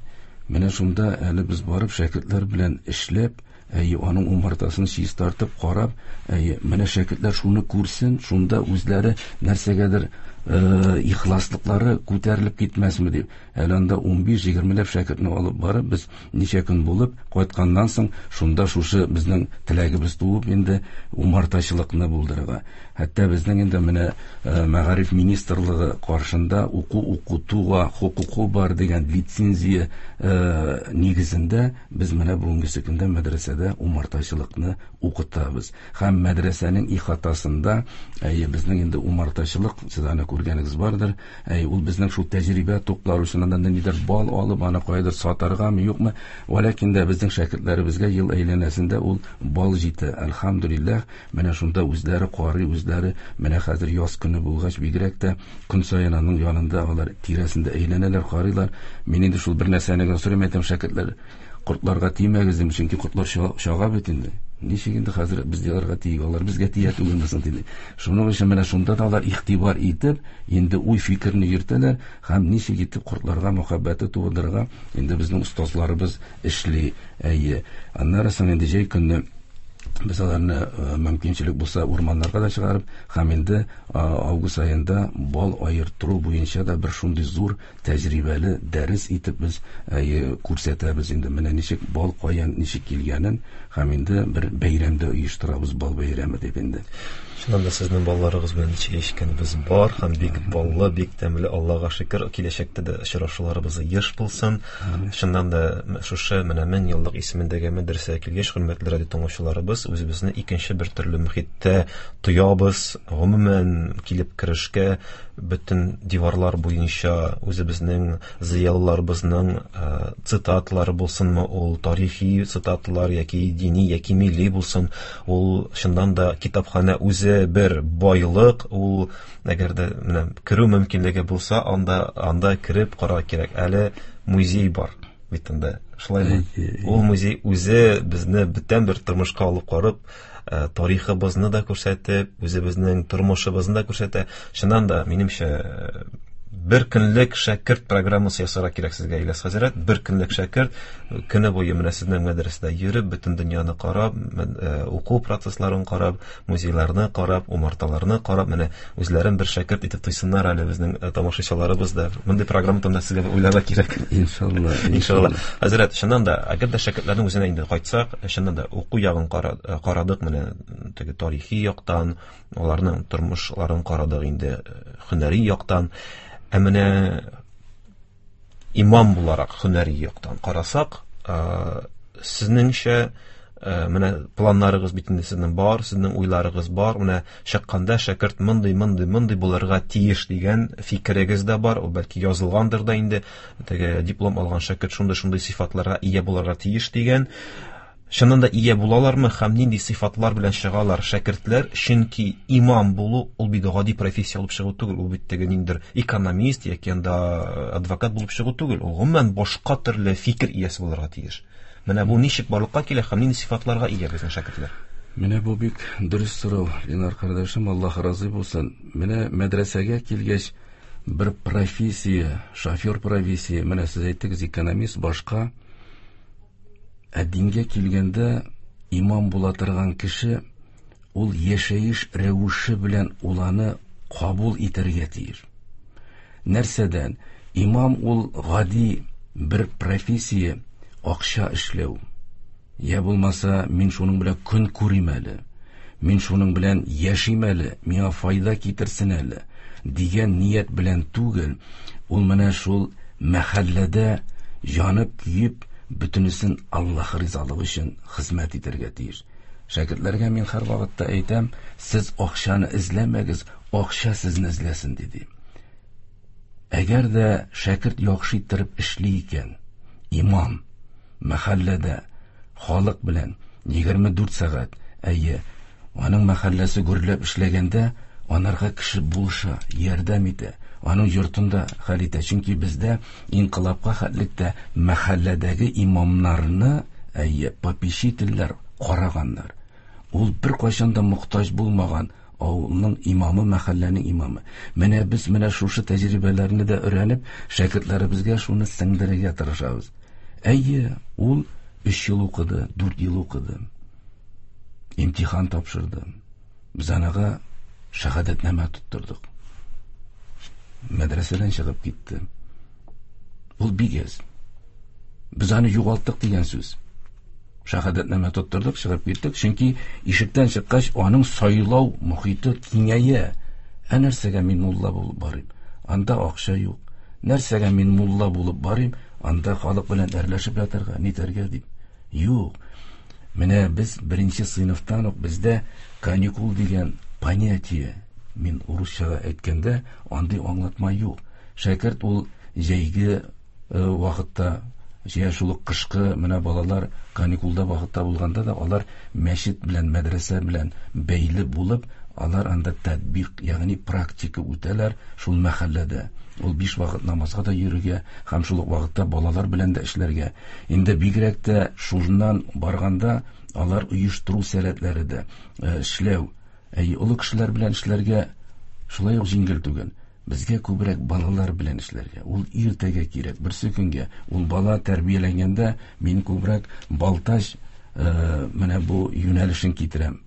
Менә шунда әле без барып шәкертләр белән эшләп, әйе, аның умартасын чистартып, карап, әйе, менә шәкертләр шуны күрсен, шунда үзләре нәрсәгәдер ихласлыклары күтәрелеп китмәсме дип. Әле анда ун биш егермеләп шәкертне алып барып, без ничә көн булып кайтканнан соң шунда шушы безнең теләгебез туып инде умартачылыкны булдырырга. Хәтта безнең инде менә мәгариф министрлыгы каршында уку укытуга хокукы бар дигән лицензия нигезендә без менә бүгенге көндә мәдрәсәдә умартачылыкны укытабыз. Һәм мәдрәсәнең ихатасында, әйе, безнең инде умартачылык, сез аны күргәнегез бардыр, әй, ул безнең шул тәҗрибә туплар өчен аннан нидер бал алып, аны кайдыр сатаргамы, юкмы, вәләкин дә безнең шәкертләребезгә ел әйләнәсендә ул бал җитә, әлхәмдүлилләһ. Менә шунда үзләре карый, үзләре менә хәзер яз көне булгач, бигрәк тә көн саен аның янында алар тирәсендә әйләнәләр, карыйлар. Мин инде шул бер нәрсәне генә сорыйм, әйтәм, шәкертләр, кортларга тимәгез дим, чөнки кортлар чага бит инде. Ничек инде хәзер без аларга тиек, алар безгә тия түгелме соң диде. Шуның өчен менә шунда да алар игътибар итеп, инде уй фикерне йөртәләр һәм ничек итеп кортларга мәхәббәте тудырырга инде безнең остазларыбыз эшли. Әйе. Аннары соң инде җәй көне без аларны мөмкинчелек булса урманнарга да чыгарып, һәм инде август аенда бал аертыру буенча да бер шундый зур тәҗрибәле дәрес итеп без күрсәтәбез инде менә ничек бал каян ничек килгәнен, һәм инде бер бәйрәм дә оештырабыз, бал бәйрәме дип инде. Чыннан да сезнең балларыгыз белән чәй эчкәнебез бар һәм бик баллы, бик тәмле, Аллага шөкер, киләчәктә дә очрашуларыбыз еш булсын. Чыннан да шушы менә мең еллык исемендәге мәдрәсәгә килгәч, хөрмәтле радио тыңлаучыларыбыз, үзебезне икенче бер төрле мөхиттә тоябыз. Гомумән килеп керешкә бөтен диварлар буенча үзебезнең зыялыларыбызның цитатлары булсынмы, ул тарихи цитатлар яки дини яки милли булсын, ул чыннан да китапханә үзе бер байлык, ул әгәр дә менә керү мөмкинлеге булса, анда анда кереп карарга кирәк. Әле музей бар бит анда, шулаймы? Ул музей үзе безне бүтән бер тормышка алып карып, тарихыбызны да күрсәтеп, үзебезнең тормышыбызны да күрсәтә. Чыннан да, минемчә, бер көнлек шәкерт программасы ясарга кирәк сезгә, Ильяс хәзрәт. Бер көнлек шәкерт көне буе менә сезнең мәдрәсәдә йөреп, бөтен дөньяны карап, уку процессларын карап, музейларны карап, умарталарны карап, менә үзләрен бер шәкерт итеп тойсыннар әле безнең тамашачыларыбыз да. Мондый программа турында сезгә уйларга кирәк. Иншалла, иншалла. Хәзрәт, чыннан да, әгәр дә шәкертләрнең үзенә инде кайтсак, чыннан да уку ягын карадык, менә теге тарихи яктан, аларның тормышларын карадык инде, һөнәри яктан. Ә менә Имам буларак һөнәри яктан карасак, сезнеңчә менә планнарыгыз бит инде сезнең бар, сезнең уйларыгыз бар, менә чыкканда шәкерт мондый, мондый, мондый булырга тиеш дигән фикерегез дә бар, ул бәлки язылгандыр да инде, теге диплом алган шәкерт шундый-шундый сыйфатларга ия булырга тиеш дигән. Чыннан да ия булалармы һәм нинди сыйфатлар белән чыгалар шәкертләр? Чөнки имам булу ул бит гади профессия булып чыгу түгел, ул бит теге ниндидер экономист яки анда адвокат булып чыгу түгел, ул гомумән башка төрле фикер иясе булырга тиеш. Менә бу ничек барлыкка килә һәм нинди сыйфатларга ия безнең шәкертләр? Менә бу бик дөрес сорау, Ленар кардәшем, Аллаһ разый булсын. Менә мәдрәсәгә килгәч бер профессия, шофер профессия, менә сез әйттегез, экономист, башка. Ә дингә килгәндә имам була торган кеше ул яшәеш рәвеше белән ул аны кабул итәргә тиеш. Нәрсәдән? Имам ул гади бер профессия, акча эшләү. Я булмаса, мин шуның белән көн күрим әле, мин шуның белән яшим әле, миңа файда китерсен әле дигән ният белән түгел, ул менә шул мәхәлләдә янып көеп, бөтенесен Аллаһ ризалыгы өчен хезмәт итәргә тиеш. Шәкертләргә мин һәр вакытта әйтәм, сез акчаны эзләмәгез, акча сезне эзләсен, диде. Әгәр дә шәкерт яхшы иттереп эшли икән, имам мәхәлләдә халык белән егерме дүрт сәгать, әйе, аның мәхәлләсе гөрләп эшләгәндә, анарга кеше булыша, ярдәм итә, аның йортында хәл итә. Чөнки бездә инкыйлабка хәтлектә мәхәлләдәге имамнарны, әйе, попечительләр караганнар. Ул бер кайчан да мохтаҗ булмаган авылның имамы, мәхәлләнең имамы. Менә без менә шушы тәҗрибәләрне дә өйрәнеп, шәкертләребезгә шуны сеңдерергә тырышабыз. Әйе, ул өч ел укыды, дүрт ел укыды. Имтихан тапшырды. Без анага шәһадәтнамә тоттырдык. Мәдрәсәдән чыгып китте. Ул бик әз. Без аны югалттык дигән сүз. Шәһадәтнамә тоттырдык, чыгып киттек. Чөнки ишектән чыккач, аның сайлау мохите киңәя. Ә нәрсәгә мин мулла булып барыйм? Анда акча юк. Нәрсәгә мин мулла булып барыйм? Анда халык белән әрләшеп ятарга, нитәргә дип. Юк. Менә без беренче сыйныфтан ук бездә каникул дигән понятие, мин урысчага әйткәндә, андый аңлатма юк. Шәкерт ул җәйге вакытта, җәй шул ук кышкы, менә балалар каникулда вакытта булганда да алар мәчет белән, мәдрәсә белән бәйле булып, алар анда татбик, ягъни практика үтәләр шул мәхәлләдә. Ул биш вакыт намазга да йөрергә һәм шул ук вакытта балалар белән дә эшләргә. Инде бигрәк тә шуннан барганда алар оештыру сәләтләре дә эшләү. Әй, олы кешеләр белән эшләргә шулай ук җиңел түгел. Безгә күбрәк балалар белән эшләргә. Ул иртәгә кирәк, берсе көнгә. Ул бала тәрбияләнгәндә мин күбрәк Балтач менә бу юнәлешен китерәм.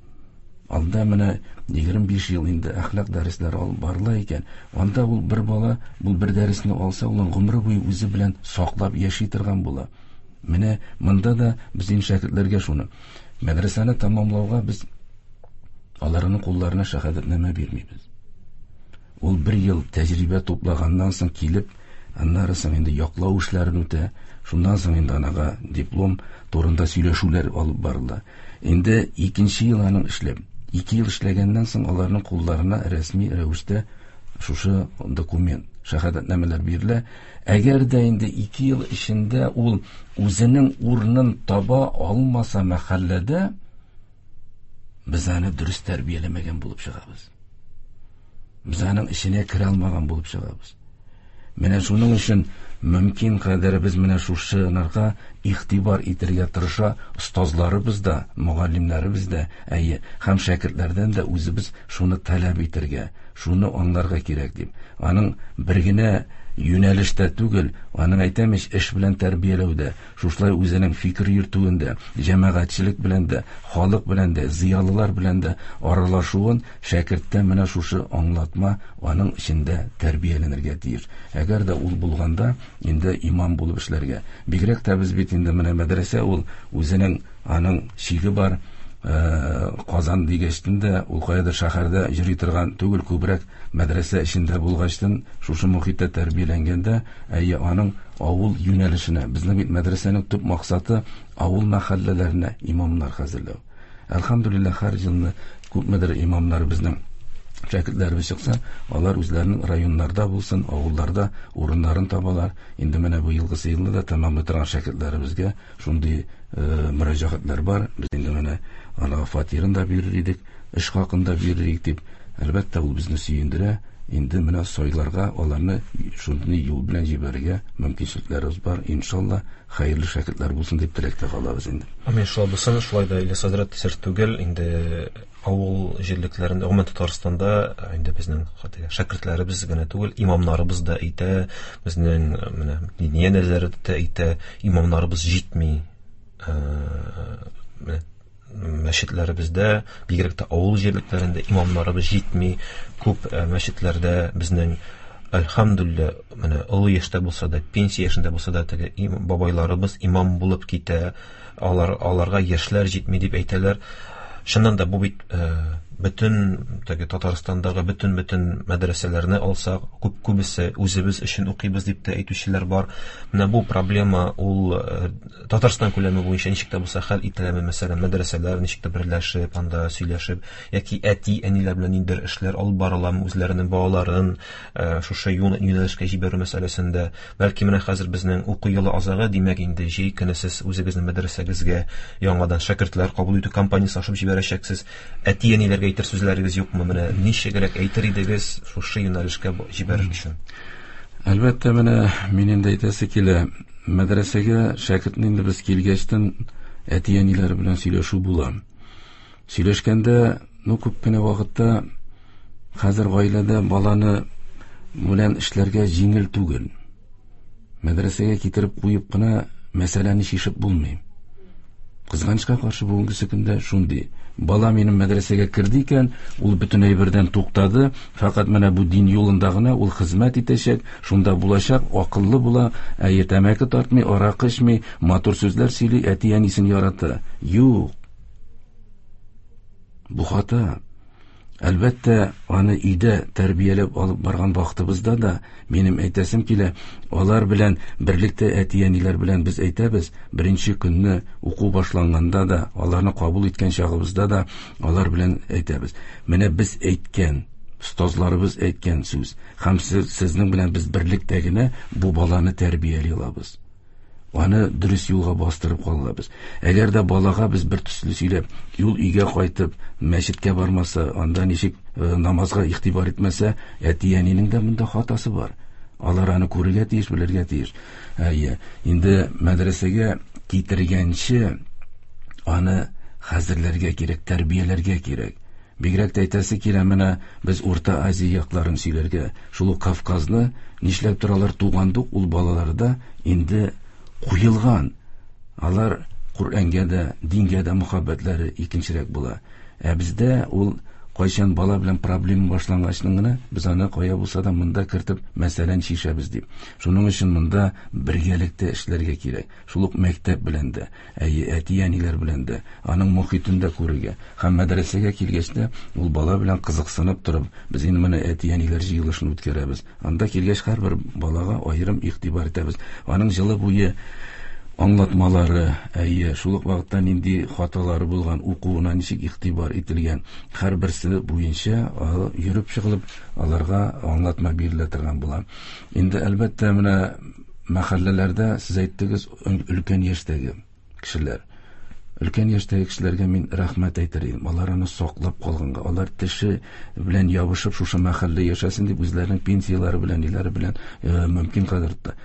Анда менә егерме биш ел инде әхлак дәресләре алып барыла икән. Анда ул бер бала, бу бер дәресне алса, ул гомере буе үзе белән саклап яши торган була. Менә монда да безнең шәкертләргә шуны. Мәдрәсәне тәмамлауга без аларның кулларына шәһадәтнамә бирмибез. Ул бер ел тәҗрибә туплаганнан соң килеп, аннары соң инде яклау эшләрен үтә, шуннан соң инде анага диплом турында сөйләшүләр алып барыла. Инде икенче ел аның эшләп, ике ел эшләгәннән соң аларның кулларына рәсми рәвештә шушы документ, шәһадәтнамәләр бирелә. Әгәр дә инде ике ел эчендә ул үзенең урынын таба алмаса мәхәлләдә, без аны дөрес тәрбияләмәгән булып чыгабыз. Без аның эченә керә алмаган булып чыгабыз. Менә шуның өчен мөмкин кадәр без менә шушыларга игътибар итәргә тырыша остазларыбыз да, мөгаллимнәребез дә, әйе, һәм шәкертләрдән дә үзебез шуны таләп итәргә, шуны аңларга кирәк дип. Аның бер генә юнәлештә түгел, аның әйтәм ич, эш белән тәрбияләүдә, шушылай үзенең фикер йөртүендә, җәмәгатьчелек белән дә, халык белән дә, зыялылар белән дә аралашуын шәкерттә менә шушы аңлатма аның эчендә тәрбияләнергә тиеш. Әгәр дә ул булганда, инде имам булып эшләргә. Бигрәк тә без бит инде менә мәдрәсә ул үзенең аның чиге бар, Казан дигәчтен дә ул каядыр шәһәрдә йөри торган түгел, күбрәк мәдрәсә эчендә булгачтын, шушы мохиттә тәрбияләнгәндә, әйе, аның авыл юнәлешенә, безнең бит мәдрәсәнең төп максаты авыл мәхәлләләренә имамнар хәзерләү. Әлхәмдүлилләһ, һәр елны күпмедер имамнар безнең шәкертләребез чыкса, алар үзләренең районнарда булсын, авылларда урыннарын табалар. Инде менә бу елгысы елны да тәмамлый торган шәкертләребезгә шундый мөрәҗәгатьләр бар. Без инде менә аларга фатирын да бирер идек, эш хакын да бирер идек дип, әлбәттә, ул безне сөендерә. Инде менә сайларга аларны шундый юл белән җибәрергә мөмкинчелекләребез бар. Иншалла, хәерле шәкертләр булсын дип теләктә калабыз инде. Амин, шулай булсын. Шулай да Ильяс хәзрәт, сер түгел, инде авыл җирлекләрендә, гомумән Татарстанда инде безнең шәкертләребез генә түгел, имамнарыбыз да әйтә, безнең менә диния нәзарәте дә әйтә, имамнарыбыз җитми. Менә мәчетләребездә, бигрәк тә авыл җирлекләрендә имамнарыбыз җитми. Күп мәчетләрдә безнең, әлхәмдүлилләһ, менә олы яшьтә булса да, пенсия яшендә булса да, теге бабайларыбыз имам булып китә, алар, аларга яшьләр җитми дип әйтәләр. Чыннан да бу бит бөтен теге Татарстандагы бөтен-бөтен мәдрәсәләрне алсак, күп күбесе үзебез өчен укыйбыз дип тә әйтүчеләр бар. Менә бу проблема ул Татарстан күләме буенча ничек тә булса хәл ителәме, мәсәлән, мәдрәсәләр ничек тә берләшеп, анда сөйләшеп, яки әти-әниләр белән ниндидер эшләр алып барыламы, үзләренең балаларын шушы юнәлешкә җибәрү мәсьәләсендә. Бәлки менә хәзер безнең уку елы азагы, димәк инде җәй көне сез үзегезнең мәдрәсәгезгә яңадан шәкертләр кабул итү кампаниясе ачып җибәрәчәксез. Әти-әниләргә әйтер сүзләрегез юкмы? Менә ничегрәк әйтер идегез шушы юнәлешкә җибәрер өчен? Әлбәттә, менә мин инде әйтәсе килә, мәдрәсәгә шәкертне инде без килгәчтен әти-әниләр белән сөйләшү була. Сөйләшкәндә, ну, күп кенә вакытта хәзер гаиләдә баланы белән эшләргә җиңел түгел. Мәдрәсәгә китереп куеп кына мәсьәләне чишеп булмый. Кызганычка каршы бүгенге көндә шундый. Бала минем мәдрәсәгә керде икән, ул бөтен әйбердән туктады, фәкать менә бу дин юлында гына ул хезмәт итәчәк, шунда булачак, акыллы була, әйе, тәмәке тартмый, аракы эчми, матур сүзләр сөйли, әти-әнисен ярата. Юк. Бу хата. Әлбәттә, аны өйдә тәрбияләп алып барган вакытыбызда да минем әйтәсем килә, алар белән берлектә әти-әниләр белән без әйтәбез, беренче көнне уку башланганда да, аларны кабул иткән чагыбызда да алар белән әйтәбез. Менә без әйткән, остазларыбыз әйткән сүз, һәм сезнең белән без берлектә генә бу баланы тәрбияли алабыз. Аны дөрес юлга бастырып калабыз. Әгәр дә балага без бер төсле сөйләп, юл өйгә кайтып, мәчеткә бармаса, анда ничек намазга игътибар итмәсә, әти-әнинең дә монда хатасы бар. Алар аны күрергә тиеш, белергә тиеш. Әйе, инде мәдрәсәгә китергәнче аны хәзерләргә кирәк, тәрбияләргә кирәк. Бигрәк тә әйтәсе килә, менә без Урта Азия якларын сөйләргә, шул ук Кавказны нишләп торалар тугандук, ул балаларда инде куелган. Алар Коръәнгә дә, дингә дә мөхәббәтләре икенчерәк була. Ә бездә ул кайчан бала белән проблема башлангачның гына без аны кая булса да монда кертеп мәсьәләне чишәбез дип. Шуның өчен монда бергәлектә эшләргә кирәк. Шул ук мәктәп белән дә, әйе, әти-әниләр белән дә, аның мохитен дә күрергә. Һәм мәдрәсәгә килгәч тә ул бала белән кызыксынып торып, без инде менә әти-әниләр җыелышын үткәрәбез. Анда килгәч һәрбер балага аерым игътибар итәбез. Аның җылы буе аңлатмалары, әйе, шул ук вакытта нинди хаталары булган, укуына ничек игътибар ителгән, һәрберсе буенча йөреп чыгылып, аларга аңлатма бирелә торган була. Инде әлбәттә менә мәхәлләләрдә сез әйттегез, өлкән яшьтәге кешеләр. Өлкән яшьтәге кешеләргә мин рәхмәт әйтер идем. Алар аны саклап калганга, алар теше белән ябышып шушы мәхәллә яшәсен дип үзләренең пенсияләре белән, ниләре белән мөмкин кадәр тотты.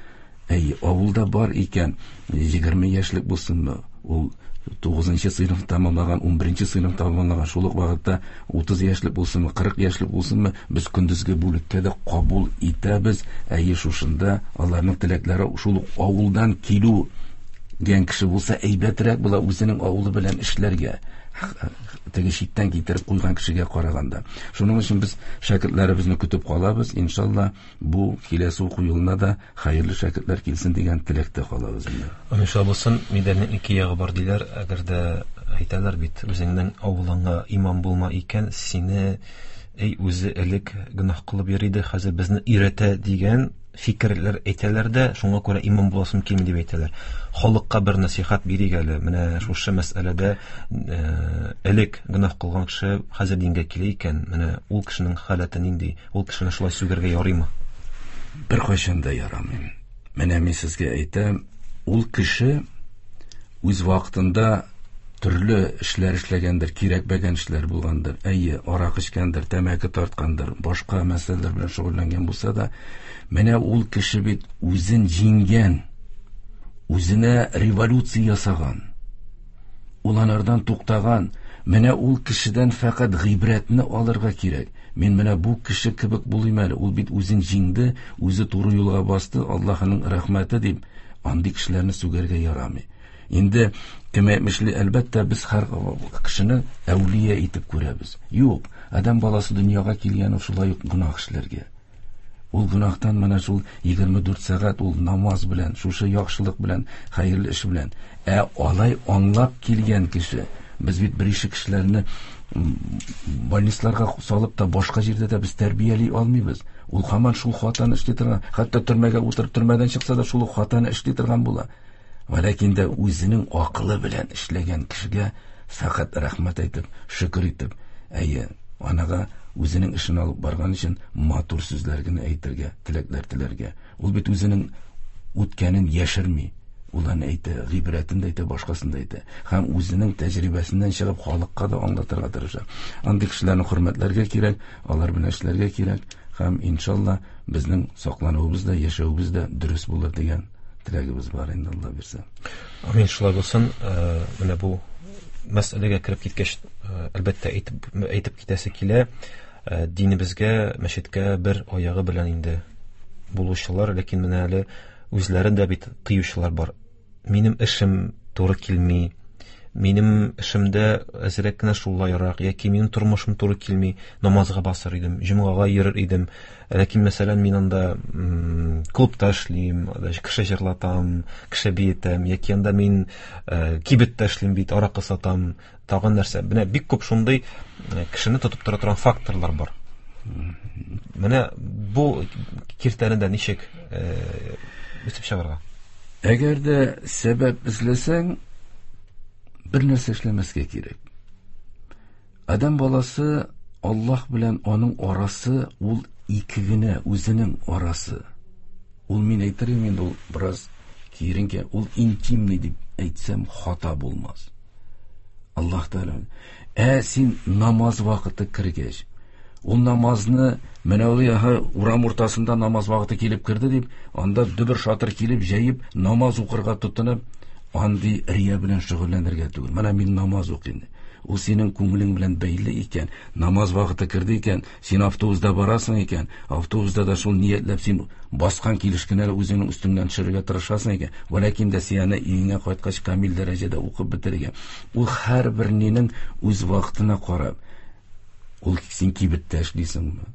Әй, авылда бар икән, егерме яшьлек булсынмы, ул тугызынчы сыйныф тәмамлаган, унберенче сыйныф тәмамлаган, шул ук вакытта утыз яшьлек булсынмы, кырык яшьлек булсынмы, без көндезге бүлеккә дә кабул итәбез. Әйе, шушында аларның теләкләре шул ук авылдан килү дигән кеше булса, әйбәтрәк була үзенең авылы белән эшләргә, теге читтән китереп куйган кешегә караганда. Шуның өчен без шәкертләребезне көтеп калабыз. Иншалла, бу киләсе уку елына да хәерле шәкертләр килсен дигән теләктә калабыз инде. Иншалла булсын. Медальнең ике ягы бар диләр. Әгәр дә Әйтәләр бит, үзеңнең авылыңа имам булма икән, сине эй үзе элек гөнаһ кылып йөри иде, хәзер безне өйрәтә дигән фикерләр әйтәләр дә, шуңа күрә имам буласым килми дип әйтәләр. Халыкка бер насихат бирик әле. Менә шушы мәсьәләдә элек гөнаһ кылган кеше хәзер дингә килә икән, менә ул кешенең халәте нинди? Ул кешене шулай сүгәргә ярыймы? Беркайчан да ярамый. Менә мин сезгә әйтәм, ул кеше үз вакытында төрле эшләр эшләгәндер, кирәкмәгән эшләр булгандыр. Әйе, арак эчкәндер, тәмәке тарткандыр, башка мәсьәләләр белән шөгыльләнгән булса да, менә ул кеше бит үзен җиңгән, үзенә революция ясаган, ул анардан туктаган. Менә ул кешедән фәкать гыйбрәтне алырга кирәк. Мин менә бу кеше кебек булыйм әле, ул бит үзен җиңде, үзе туры юлга басты, Аллаһының рәхмәте дип, андый кешеләрне сүгәргә ярамый. Инде кем әйтмешли, әлбәттә, без һәр кешене әүлия итеп күрәбез. Юк, адәм баласы дөньяга килгән ул шулай ук гөнаһ эшләргә. Ул гөнаһтан менә шул егерме дүрт сәгать ул намаз белән, шушы яхшылык белән, хәерле эш белән. Ә алай аңлап килгән кеше, без бит бер ише кешеләрне больницаларга салып та башка җирдә дә без тәрбияли алмыйбыз. Ул һаман шул хатаны эшли торган, хәтта төрмәгә утырып төрмәдән чыкса да шул хатаны эшли торган була. Ләкин дә үзенең акылы белән эшләгән кешегә фәкать рәхмәт әйтеп, шөкер итеп, әйе, анага үзенең эшен алып барган өчен матур сүзләр генә әйтергә, теләкләр теләргә. Ул бит үзенең үткәнен яшерми. Ул аны әйтә, гыйбрәтен дә әйтә, башкасын да әйтә. Һәм үзенең тәҗрибәсеннән чыгып халыкка да аңлатырга тырыша. Андый кешеләрне хөрмәтләргә кирәк, алар белән эшләргә кирәк. Һәм иншалла безнең саклануыбыз да, яшәвебез дә дөрес булыр дигән теләгебез бар инде, Алла бирсә. Амин, шулай булсын. Менә бу мәсьәләгә кереп киткәч, әлбәттә, әйтеп, әйтеп китәсе килә. Динебезгә, мәчеткә бер аягы белән инде булучылар, ләкин менә әле үзләрен дә бит тыючылар бар. Минем эшем туры килми, минем эшемдә әзрәк кенә шулайрак, яки минем тормышым туры килми, намазга басыр идем, җомгага йөрер идем. Ләкин, мәсәлән, мин анда клубта эшлим, кеше җырлатам, кеше биетәм, яки анда мин кибеттә эшлим бит, аракы сатам, тагын нәрсә. Менә бик күп шундый кешене тотып тора торган факторлар бар. Менә бу киртәне дә ничек үсеп чыгарга? Әгәр дә сәбәп эзләсәң, бер нәрсә эшләмәскә кирәк. Адәм баласы Аллаһ белән аның арасы ул ике генә, үзенең арасы. Ул мин әйтер идем инде, ул бераз киеренке, ул интимный дип әйтсәм хата булмас. Аллаһ Тәгалә. Ә син намаз вакыты кергәч, ул намазны менә ул яһа урам уртасында намаз вакыты килеп керде дип, анда дөбер шатыр килеп җәеп намаз укырга тотынып, андый рия белән шөгыльләнергә түгел. Менә мин намаз укыйм. Ул синең күңелең белән бәйле икән, намаз вакыты керде икән, син автобуста барасың икән, автобуста да шул ниятләп син баскан килеш кенә үзеңнең өстеңнән төшерергә тырышасың икән, вәләкин дә син аны өеңә кайткач камил дәрәҗәдә укып бетерергә. Ул һәрбер нинең үз вакытына карап, ул син кибеттә эшлисеңме,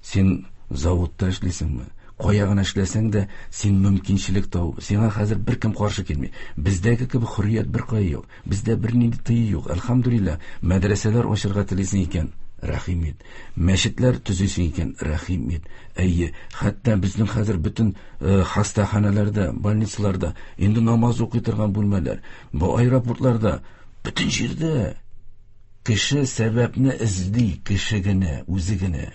син заводта эшлисеңме, кая гына эшләсәң дә, син мөмкинчелек табып, сиңа хәзер беркем каршы килми. Бездәге кебек хөррият беркая юк, бездә бернинди тыю юк. Әлхәмдүлилләһ, мәдрәсәләр ачырга телисең икән, рәхим ит. Мәчетләр төзисең икән, рәхим ит. Әйе, хәтта безнең хәзер бөтен хастаханәләрдә, больницаларда инде намаз укый торган бүлмәләр, бу аэропортларда, бөтен җирдә кеше сәбәпне эзли, кеше генә, үзе генә.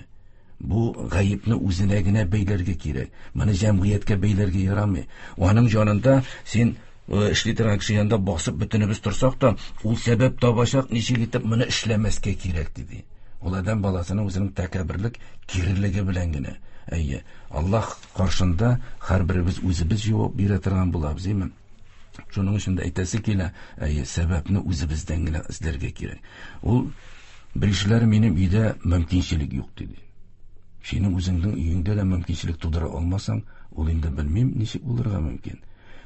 Бу гаепне үзенә генә бәйләргә кирәк. Моны җәмгыятькә бәйләргә ярамый. Аның янында син эшли торган кеше янында басып бөтенебез торсак та, ул сәбәп табачак, ничек итеп моны эшләмәскә кирәк диде. Ул адәм баласының үзенең тәкәбберлек, кирелеге белән генә. Әйе, Аллаһ каршында һәрберебез үзебез җавап бирә торган булабыз, әйеме? Шуның өчен дә әйтәсе килә, әйе, сәбәпне үзебездән генә эзләргә кирәк. Ул беришеләр минем өйдә мөмкинчелек юк диде. Синең үзеңнең өеңдә дә мөмкинчелек тудыра алмасаң, ул инде белмим ничек булырга мөмкин.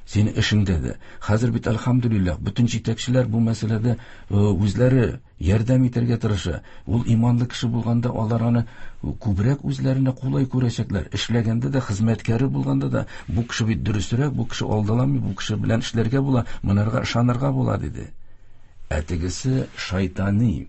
Синең эшеңдә дә. Хәзер бит әлхәмдүлилләһ, бөтен җитәкчеләр бу мәсьәләдә үзләре ярдәм итәргә тырыша. Ул иманлы кеше булганда алар аны күбрәк үзләренә кулай күрәчәкләр. Эшләгәндә дә, хезмәткәре булганда да, бу кеше бит дөресрәк, бу кеше алдаламый, бу кеше белән эшләргә була, монарга ышанырга була диде. Ә тегесе шайтани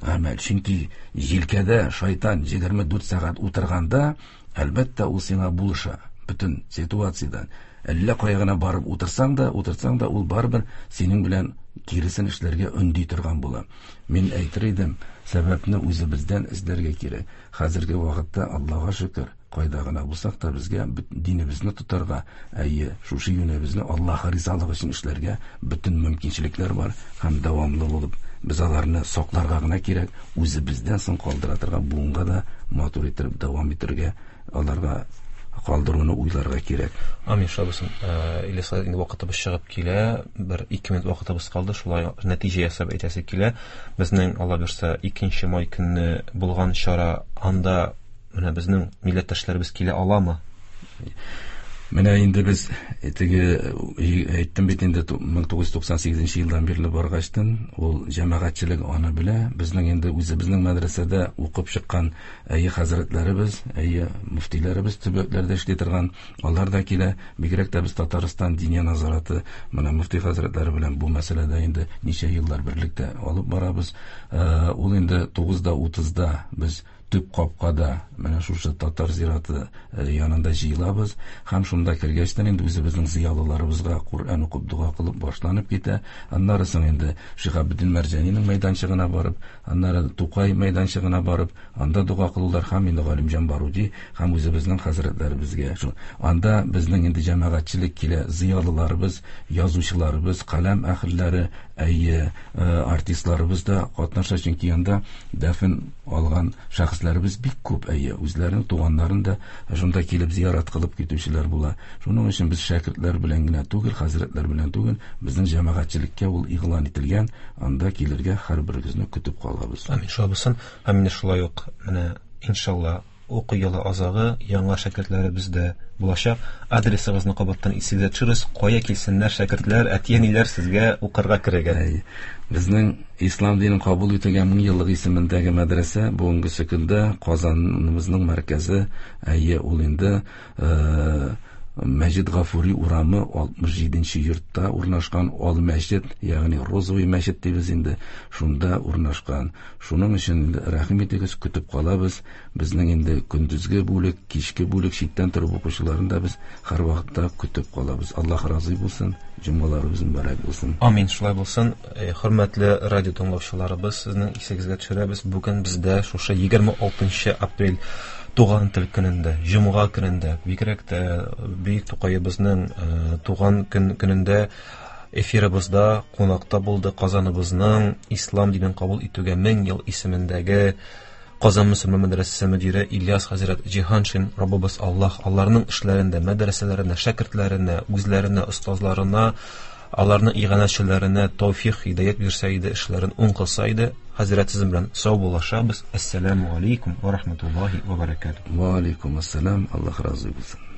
гамәл. Чөнки җилкәдә шайтан егерме дүрт сәгать утырганда, әлбәттә, ул сиңа булыша бөтен ситуациядән. Әллә кая гына барып утырсаң да, утырсаң да, ул барыбер синең белән киресен эшләргә өнди торган була. Мин әйтер идем, сәбәпне үзебездән эзләргә кирәк. Хәзерге вакытта Аллага шөкер, кайда гына булсак та безгә динебезне тотарга, әйе, шушы юнебезне Аллаһ ризалыгы өчен эшләргә бөтен мөмкинчелекләр бар һәм дәвамлы булып без аларны сакларга гына кирәк, үзебездән соң калдыра торган буынга да матур итеп дәвам итәргә, аларга калдыруны уйларга кирәк. Амин, шулай булсын. Ильяс, инде вакытыбыз чыгып килә, бер ике минут вакытыбыз калды, шулай нәтиҗә ясап әйтәсе килә. Безнең, Алла бирсә, икенче май көнне булган чара, анда менә безнең милләттәшләребез килә аламы? Менә инде без теге әйттем бит инде мең тугыз йөз туксан сигезенче елдан бирле баргачтын, ул җәмәгатьчелек аны белә. Безнең инде үзебезнең мәдрәсәдә укып чыккан әйе хәзрәтләребез, әйе мөфтиләребез төбәкләрдә эшли торган, алар да килә. Бигрәк тә без Татарстан Диния назараты менә мөфти хәзрәтләре белән бу мәсьәләдә инде ничә еллар берлектә алып барабыз. Ул инде тугызда утызда без төп капкада менә шушы татар зираты янында җыелабыз һәм шунда кергәчтән инде үзебезнең зыялыларыбызга Коръән укып дога кылып башланып китә. Аннары соң инде Шиһабетдин Мәрҗанинең мәйданчыгына барып, аннары Тукай мәйданчыгына барып, анда дога кылулар һәм инде Галимҗан Баруди һәм үзебезнең хәзрәтләребезгә. Шул анда безнең инде җәмәгатьчелек килә, зыялыларыбыз, язучыларыбыз, каләм әһелләре, әйе, артистларыбыз да катнаша, чөнки анда дәфен алган шәхесләребез бик күп, әйе, үзләренең туганнарын да шунда килеп зиярат кылып китүчеләр була. Шуның өчен без шәкертләр белән генә түгел, хәзрәтләр белән түгел, безнең җәмәгатьчелеккә ул игълан ителгән, анда килергә һәрберегезне көтеп калабыз. Амин, шулай булсын. Һәм инде шулай ук менә иншалла уку елы азагы яңа шәкертләребез дә булачак. Адресыгызны кабаттан исегезгә төшерегез. Кая килсеннәр шәкертләр, әти-әниләр сезгә укырга керергә. Әй, безнең ислам динен кабул ителгән мең еллык исемендәге мәдрәсә бүгенге көндә Казаныбызның мәркәзе, әйе, ул инде, э, Мәҗид Гафури урамы алтмыш җиденче йортта урнашкан Ал мәчет, ягъни Розовый мәчет дибез инде, шунда урнашкан. Шуның өчен инде рәхим итегез, көтеп калабыз. Безнең инде көндезге бүлек, кичке бүлек читтән торып укучыларын да без һәрвакытта көтеп калабыз. Аллаһ разый булсын, җомгаларыбыз мөбарәк булсын. Амин, шулай булсын. Э, хөрмәтле радио тыңлаучыларыбыз, сезнең исегезгә төшерәбез. Бүген бездә шушы егерме алтынчы апрель туган тел көнендә, җомга көнендә, бигрәк тә бөек Тукаебызның, э, туган көн көнендә эфирыбызда кунакта булды Казаныбызның ислам динен кабул итүгә мең ел исемендәге Казан мөселман мәдрәсәсе мөдире Ильяс хәзрәт Җиһаншин. Раббыбыз Аллаһ аларның эшләрендә, мәдрәсәләренә, шәкертләренә, үзләренә, остазларына, аларның иганәчеләренә тәүфик, һидаят бирсә иде, эшләрен уң кылса иде. Хәзрәт, сезнең белән сау булашабыз. Әссәламу алейкум ва рахматуллаһи ва баракатуһ. Ва алейкум ассалам. Аллаһ разый булсын.